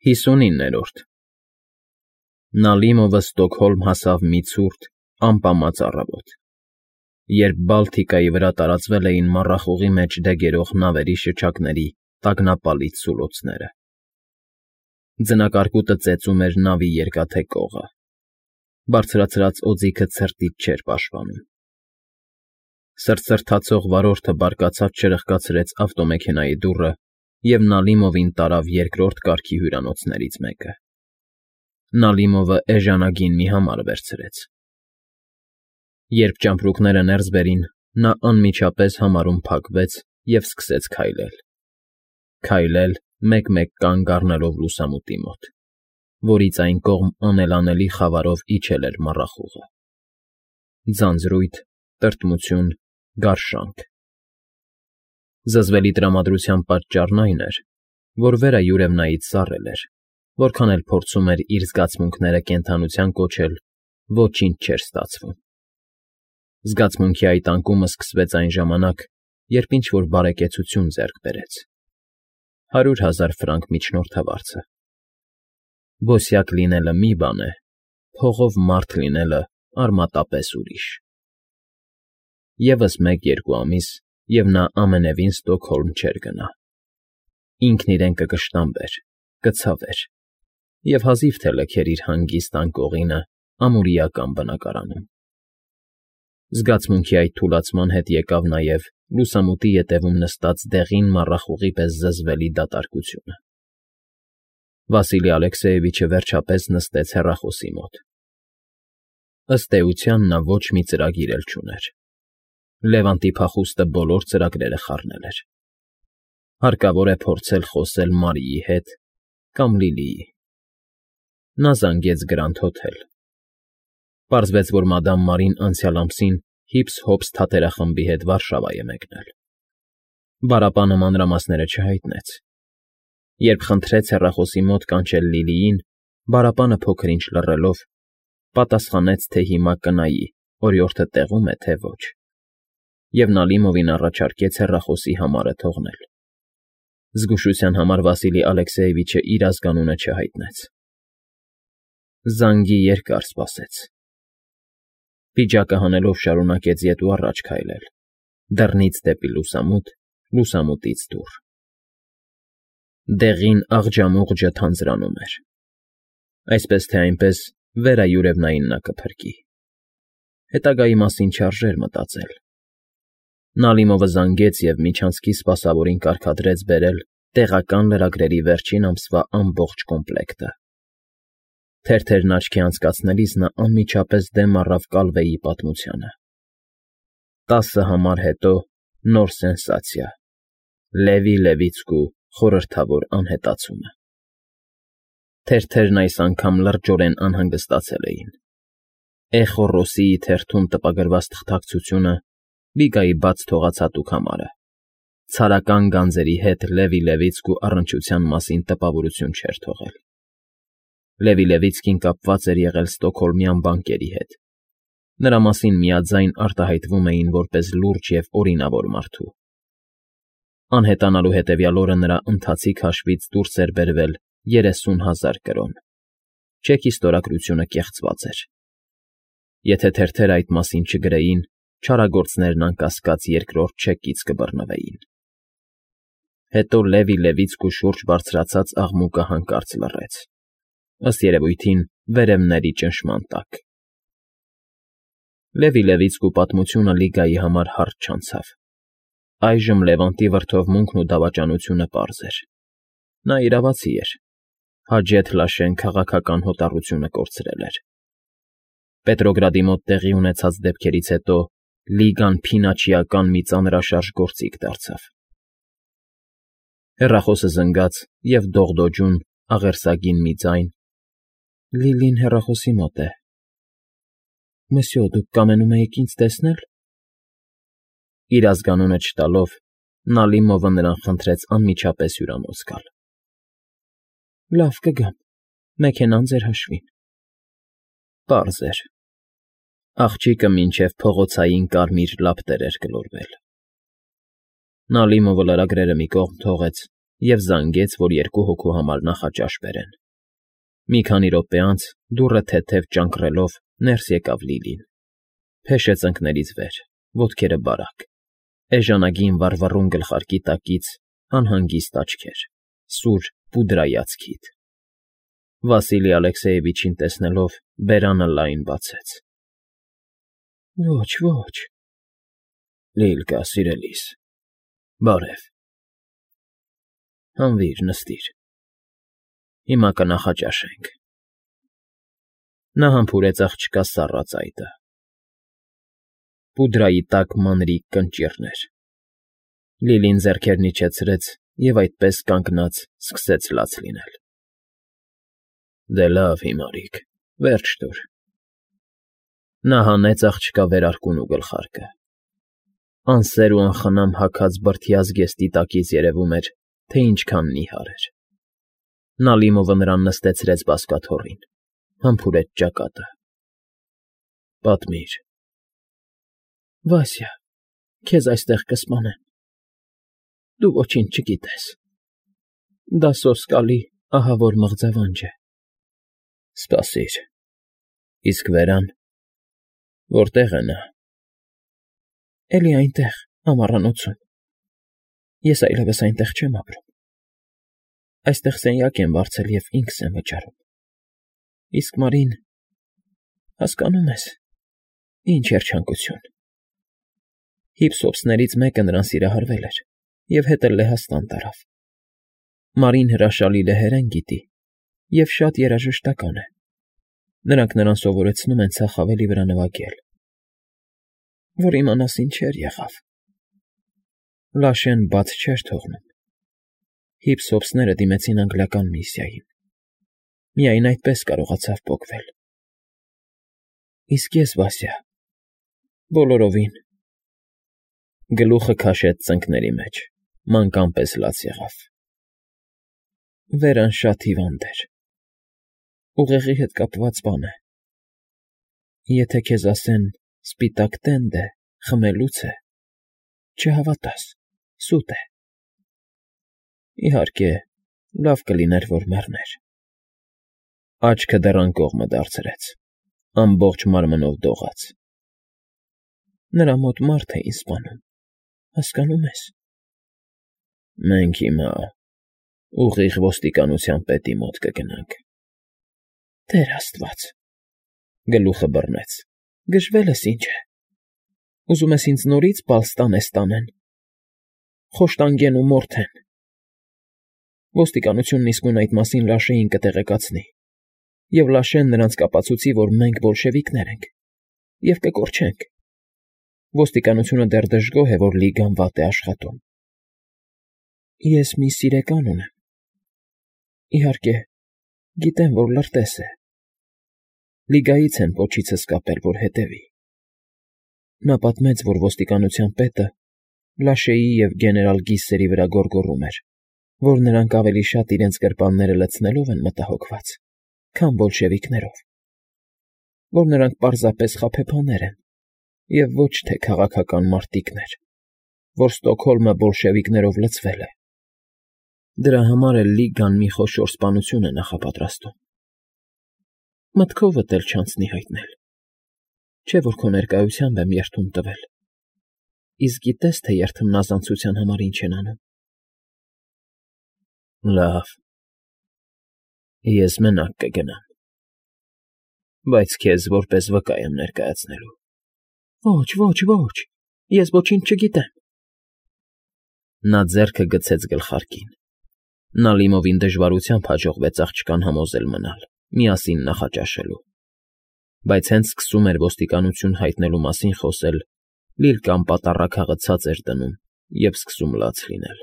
59-րդ Նալիմովը Ստոկհոլմ հասավ մի ցուրտ, ամպամած առավոտ, երբ Բալթիկայի վրա տարածվել էին մառախուղի մեջ դեգերող նավերի շչակների տագնապալից սուլոցները։ Ձնակարկուտը ծեծում էր նավի երկաթե կողը, բարձրացրած օձիքը ցրտից չէր պաշտպանում։ Սրտսրտացող վարորդը բարկացած չրխկացրեց ավտոմեքենայի դուռը և Նալիմովին տարավ երկրորդ կարգի հյուրանոցներից մեկը։ Նալիմովը էժանագին մի համար վերցրեց։ Երբ ճամպրուկները ներս բերին, նա անմիջապես համարում փակվեց և սկսեց քայլել։ Քայլել, մեկ-մեկ կանգ առնելով լուսամուտի մոտ, որից այն կողմ անելանելի խավարով իջել էր մառախուղը։ Ձանձրույթ, տրտմություն, գարշանք։ Զզվելի տրամադրության պատճառն այն էր, որ վերա յուրևնայից սառել էր, որքան էլ փորձում էր իր զգացմունքները կենդանության կոչել, ոչինչ չէր ստացվում։ Զգացմունքի այդ անկումը սկսվեց այն ժամանակ, երբ ինչ-որ բարեկեցություն ձեռք բերեց. 100,000 ֆրանկ միջնորդավարձը։ Ոսյակ լինելը մի բան է, փողով մարդ լինելը արմատապես ուրիշ։ Եվս 1-2 ամիս, և նա ամենևին Ստոկհոլմ չէր գնա։ Ինքն իրեն կկշտամբեր, կցավեր և հազիվ թե լքեր իր հանգիստ անկողինը ամուրիական բնակարանում։ Զգացմունքի այդ թուլացման հետ եկավ նաև լուսամուտի ետևում նստած դեղին մառախուղի պես զզվելի դատարկությունը։ Վասիլի Ալեքսեևիչը վերջապես նստեց հեռախոսի մոտ։ Ըստ էության նա ոչ մի ծրագիր էլ չուներ։ Լևանտի փախուստը բոլոր ծրագրերը խառնել էր։ Հարկավոր է փորձել խոսել Մարիի հետ կամ Լիլիի։ Նա զանգեց Գրանդ Հոթել։ Պարզվեց, որ մադամ Մարին անցյալ ամսին հիփս֊հոփս թատերախմբի հետ Վարշավա է մեկնել։ Բարապանը մանրամասները չհայտնեց։ Երբ խնդրեց հեռախոսի մոտ կանչել Լիլիին, Բարապանը փոքր-ինչ լռելով, պատասխանեց, թե հիմա կնայի, օրիորդը տեղո՞ւմ է, թե ոչ, և Նալիմովին առաջարկեց հեռախոսի համարը թողնել։ Զգուշության համար Վասիլի Ալեքսեևիչը իր ազգանունը չհայտնեց։ Զանգի երկար սպասեց։ Պիջակը հանելով շարունակեց ետ ու առաջ քայլել, դռնից դեպի լուսամուտ, լուսամուտից դուռ։ Դեղին աղջամուղջը թանձրանում էր։ Այսպես թե այնպես վերայուրևնային նա կփրկի։ Հետագայի մասին չարժեր մտածել։ Նալիմովը զանգեց և միջանցքի սպասավորին կարգադրեց բերել տեղական լրագրերի վերջին ամսվա ամբողջ կոմպլեկտը։ Թերթերն աչքի անցկացնելիս նա անմիջապես դեմ առավ Կալվեի պատմությանը։ 10 համար հետո նոր սենսացիա՝ Լևի Լևիցկու խորհրդավոր անհետացումը։ Թերթերն այս անգամ լրջորեն անհանգստացել էին։ Էխո Ռոսիի թերթում տպագրված թղթակցությունը Լիգայի բաց թողած հատուկ համարը։ Ցարական գանձերի հետ Լևի Լևիցկու առնչության մասին տպավորություն չէր թողել։ Լևի Լևիցկին կապված էր եղել ստոկհոլմյան բանկերի հետ։ Նրա մասին միաձայն արտահայտվում էին որպես լուրջ և օրինավոր մարդու։ Անհետանալու հետևյալ օրը նրա ընթացիկ հաշվից դուրս էր բերվել 30,000 կրոն։ Չեքի ստորագրությունը կեղծված էր։ Եթե թերթերը այդ մասին չգրեին, չարագործներն անկասկած երկրորդ չեկից կբռնվեին։ Հետո Լևի Լևիցկու շուրջ բարձրացած աղմուկը հանկարծ լռեց, ըստ երևույթին վերևների ճնշման տակ։ Լևի Լևիցկու պատմությունը Լիգայի համար հարթ չանցավ։ Այժմ Լևանտի վրդովմունքն ու դավաճանությունը պարզ էր։ Նա իրավացի էր։ Հաջեթ Լաշեն քաղաքական հոտառությունը կորցրել էր։ Պետրոգրադի մոտ տեղի ունեցած դեպքերից հետո Լիգան փինաչիական մի ծանրաշարժ գործիք դարձավ։ Հեռախոսը զնգաց և դողդոջուն, աղերսագին մի ձայն. Լիլին հեռախոսի մոտ է։ Մսյո, դուք կամենում էիք ինձ տեսնել։ Իր ազգանունը չտալով, Նալիմովը նրան խնդրեց անմիջապես հյուրանոց գալ։ Լավ, կգամ, մեքենան ձեր հաշվին։ Պարզ էր։ Աղջիկը մինչև փողոցային կարմիր լապտեր էր գլորվել։ Նալիմովը լրագրերը մի կողմ թողեց և զանգեց, որ 2 հոգու համար նախաճաշ բերեն։ Մի քանի րոպե անց դուռը թեթև ճանկռելով ներս եկավ Լիլին, փեշը ծնկներից վեր, ոտքերը բարակ, էժանագին վառվռուն գլխարկի տակից անհանգիստ աչքեր, սուր պուդրայած քիթ։ Վասիլի Ալեքսեևիչին տեսնելով բերանը լայն բացեց։ Ոչ, ոչ։ Լիլկա, սիրելիս, բարև։ Հանվիր, նստիր։ Հիմա կնախաճաշենք։ Նա համբուրեց աղջկա սառը ծայտը։ Պուդրայի տակ մանրիկ կնճիռներ։ Լիլին ձեռքերն իջեցրեց և այդպես կանգնած սկսեց լաց լինել։ Դե լավ, հիմարիկ, վերջ տուր։ Նա հանեց աղջկա վերարկուն ու գլխարկը։ Անսեր ու անխնամ հագած բրդյա զգեստի տակից երևում էր, թե ինչքան նիհար էր։ Նալիմովը նրան նստեցրեց բազկաթոռին, համբուրեց ճակատը։ Պատմիր։ Վասյա, քեզ այստեղ կսպանեն։ Դու ոչինչ չգիտես։ Դա սոսկալի, ահավոր մղձավանջ է։ Սպասիր։ Իսկ Վերան, որտե՞ղ է նա։ Էլի այնտեղ, ամառանոցում։ Ես այլևս այնտեղ չեմ ապրում։ Այստեղ սենյակ եմ վարձել և ինքս եմ վճարում։ Իսկ Մարին, հասկանում ես, ինչ երջանկություն։ Հիփսոփսներից մեկը նրան սիրահարվել էր և հետը Լեհաստան տարավ։ Մարին հրաշալի լեհերեն գիտի և շատ երաժշտական է։ Նրանք նրան սովորեցնում են ցախավելի վրա նվագել։ Որ իմանաս ինչեր եղավ։ Լաշեն բաց չէր թողնում։ Հիփսոփսները դիմեցին անգլիական միսիային։ Միայն այդպես կարողացավ պոկվել։ Իսկ ես, Վասյա, բոլորովին։ Գլուխը քաշեց ծնկների մեջ, մանկան պես լաց եղավ։ Վերան շատ հիվանդ էր։ Ուղեղի հետ կապված բան է։ Եթե քեզ ասեն սպիտակ տենդ է, խմելուց է, չհավատաս, սուտ է։ Իհարկե, լավ կլիներ, որ մեռներ։ Աչքը դեռ անկողմը դարձրեց, ամբողջ մարմնով դողաց։ Նրա մոտ մարդ էին սպանում, հասկանում ես։ Մենք հիմա ուղիղ ոստիկանության պետի մոտ կգնանք։ Տեր Աստված, գլուխը բռնեց։ Գժվել ես ինչ է։ Ուզում ես ինձ նորից Պալստանես տանեն։ Խոշտանգեն ու մորթեն։ Ոստիկանությունն իսկույն այդ մասին Լաշեին կտեղեկացնի, և Լաշեն նրանց կապացուցի, որ մենք բոլշևիկներ ենք, և կկորչենք։ Ոստիկանությունը դեռ դժգոհ է, որ Լիգան վատ է աշխատում։ Ես մի սիրեկան ունեմ։ Իհարկե, գիտեմ, որ լրտես է։ Լիգայից են պոչիցս կապել, որ հետևի։ Նա պատմեց, որ ոստիկանության պետը Լաշեի և գեներալ Գիսերի վրա գոռգոռում էր, որ նրանք ավելի շատ իրենց գրպանները լցնելով են մտահոգված, քան բոլշևիկներով, որ նրանք պարզապես խաբեբաներ են և ոչ թե քաղաքական մարտիկներ, որ Ստոկհոլմը բոլշևիկներով լցվել է։ Դրա համար էլ Լիգան մի խոշոր սպանություն է նախապատրաստում։ Մտքովդ էլ չանցնի հայտնել, չէ՞ որ քո ներկայությամբ եմ երդում տվել։ Իսկ գիտես, թե երդմնազանցության համար ինչ են անում։ Լավ, ես մենակ կգնամ, բայց քեզ որպես վկա եմ ներկայացնելու։ Ոչ, ոչ, ոչ, ես ոչինչ չգիտեմ։ Նա ձեռքը գցեց գլխարկին։ Նալիմովին դժվարությամբ հաջողվեց աղջկան համոզել մնալ, միասին նախաճաշելու։ Բայց հենց սկսում էր ոստիկանություն հայտնելու մասին խոսել, Լիլկան պատառաքաղը ցած էր դնում և սկսում լաց լինել։